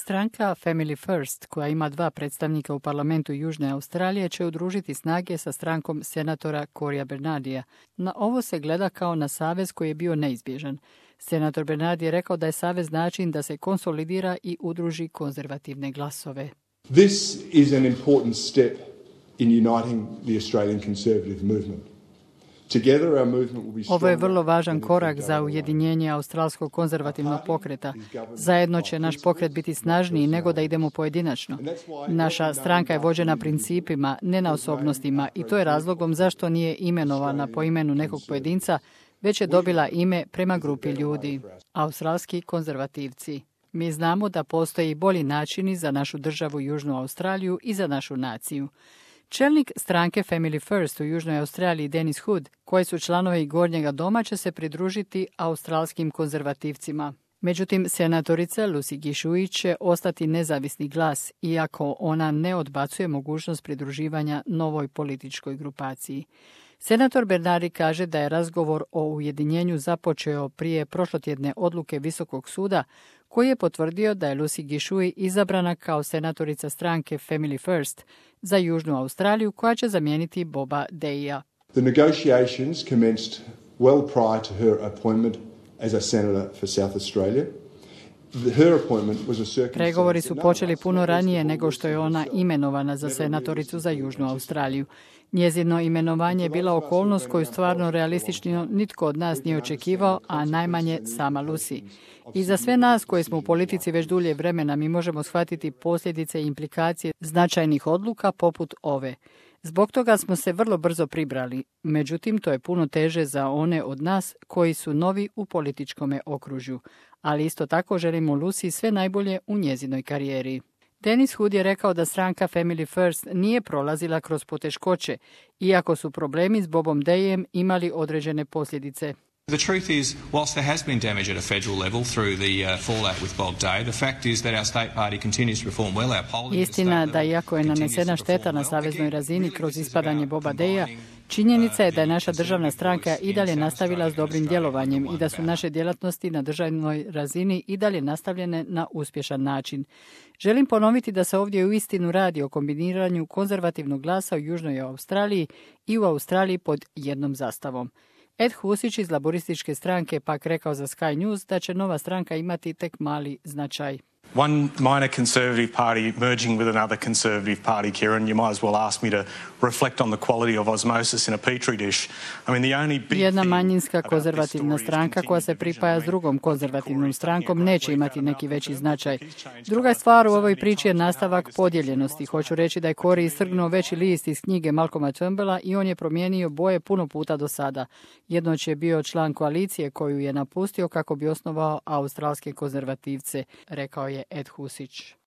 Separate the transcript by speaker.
Speaker 1: Stranka Family First, koja ima 2 predstavnika u parlamentu Južne Australije, će udružiti snage sa strankom senatora Corya Bernardija. Na ovo se gleda kao na savez koji je bio neizbježan. Senator Bernardi je rekao da je savez način da se konsolidira i udruži konzervativne glasove.
Speaker 2: This is an important step in uniting the Australian conservative movement.
Speaker 1: Ovo je vrlo važan korak za ujedinjenje australskog konzervativnog pokreta. Zajedno će naš pokret biti snažniji nego da idemo pojedinačno. Naša stranka je vođena principima, ne na osobnostima, i to je razlogom zašto nije imenovana po imenu nekog pojedinca, već je dobila ime prema grupi ljudi. Australski konzervativci. Mi znamo da postoji bolji načini za našu državu Južnu Australiju i za našu naciju. Čelnik stranke Family First u Južnoj Australiji Dennis Hood, koji su članovi Gornjega doma, će se pridružiti australskim konzervativcima. Međutim, senatorica Lucy Gishui će ostati nezavisni glas, iako ona ne odbacuje mogućnost pridruživanja novoj političkoj grupaciji. Senator Bernardi kaže da je razgovor o ujedinjenju započeo prije prošlotjedne odluke Visokog suda, koji je potvrdio da je Lucy Gishui izabrana kao senatorica stranke Family First za Južnu Australiju, koja će zamijeniti Boba Deya.
Speaker 2: The negotiations commenced well prior to her appointment as a senator for South Australia.
Speaker 1: Pregovori su počeli puno ranije nego što je ona imenovana za senatoricu za Južnu Australiju. Njezino imenovanje je bila okolnost koju stvarno realistično nitko od nas nije očekivao, a najmanje sama Lucy. I za sve nas koji smo u politici već dulje vremena mi možemo shvatiti posljedice i implikacije značajnih odluka poput ove. Zbog toga smo se vrlo brzo pribrali, međutim to je puno teže za one od nas koji su novi u političkome okružju, ali isto tako želimo Lucy sve najbolje u njezinoj karijeri. Dennis Hood je rekao da stranka Family First nije prolazila kroz poteškoće, iako su problemi s Bobom Deyem imali određene posljedice.
Speaker 3: The truth is, whilst there has been damage at a federal level through the fallout with Bob Day, the fact is that our state party continues to perform well. Our polling
Speaker 1: Istina da iako je nanesena šteta na saveznoj razini kroz ispadanje Boba Deya, činjenica je da je naša državna stranka i dalje nastavila s dobrim djelovanjem i da su naše djelatnosti na državnoj razini i dalje nastavljene na uspješan način. Želim ponoviti da se ovdje uistinu radi o kombiniranju konzervativnog glasa u Južnoj Australiji i u Australiji pod jednom zastavom. Ed Husić iz laborističke stranke pak rekao za Sky News da će nova stranka imati tek mali značaj.
Speaker 4: One minor conservative party merging with another conservative party, Kieran, you might as well ask me to reflect on the quality of osmosis in a petri dish. I mean, the only big
Speaker 1: Jedna manjinska konzervativna stranka koja se pripaja s drugom konzervativnom strankom neće imati neki veći značaj. Druga stvar u ovoj priči je nastavak podijeljenosti. Hoću reći da je Corey istrgnuo veći list iz knjige Malcolma Turnbulla i on je promijenio boje puno puta do sada. Jednoć je bio član koalicije koju je napustio kako bi osnovao australske konzervativce, rekao je Ed Husić.